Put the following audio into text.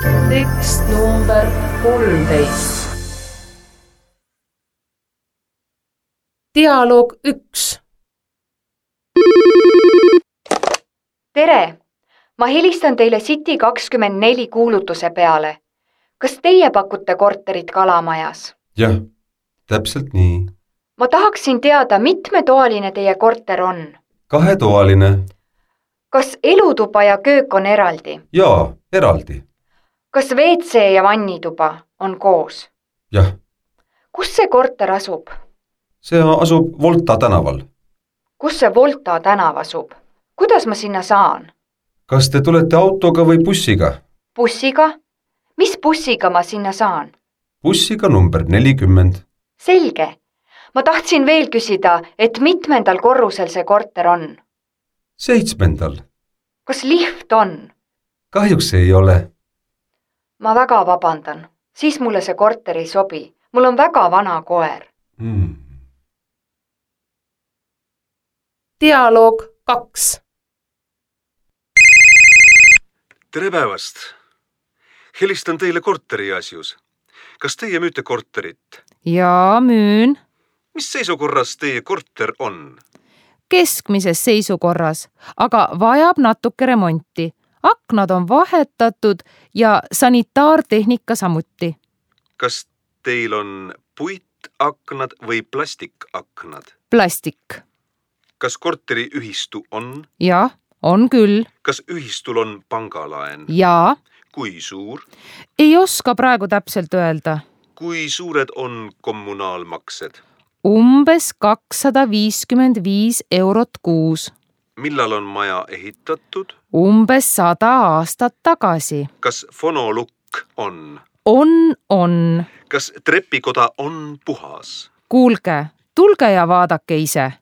Tekst number 13. Dialoog 1. Tere! Ma helistan teile City24 kuulutuse peale. Kas teie pakute korterit Kalamajas? Jah, täpselt nii. Ma tahaksin teada, mitmetoaline teie korter on. 2-toaline. Kas elutuba ja köök on eraldi? Jaa, eraldi. Kas WC ja vannituba on koos? Jah. Kus see korter asub? See asub Volta tänaval. Kus see Volta tänav asub? Kuidas ma sinna saan? Kas te tulete autoga või bussiga? Bussiga? Mis bussiga ma sinna saan? Bussiga number 40. Selge. Ma tahtsin veel küsida, et mitmendal korrusel see korter on? 7. Kas lift on? Kahjuks ei ole. Ma väga vabandan. Siis mulle see korter ei sobi. Mul on väga vana koer. Dialoog 2. Tere päevast! Helistan teile korteri asjus. Kas teie müüte korterit? Jaa, müün. Mis seisukorras teie korter on? Keskmises seisukorras, aga vajab natuke remonti. Aknad on vahetatud ja sanitaartehnika samuti. Kas teil on puitaknad või plastikaknad? Plastik. Kas korteri ühistu on? Jah, on küll. Kas ühistul on pangalaen? Jaa. Kui suur? Ei oska praegu täpselt öelda. Kui suured on kommunaalmaksed? Umbes 255 eurot kuus. Millal on maja ehitatud? Umbes 100 aastat tagasi. Kas fonolukk on? On. Kas trepikoda on puhas? Kuulge, tulge ja vaadake ise.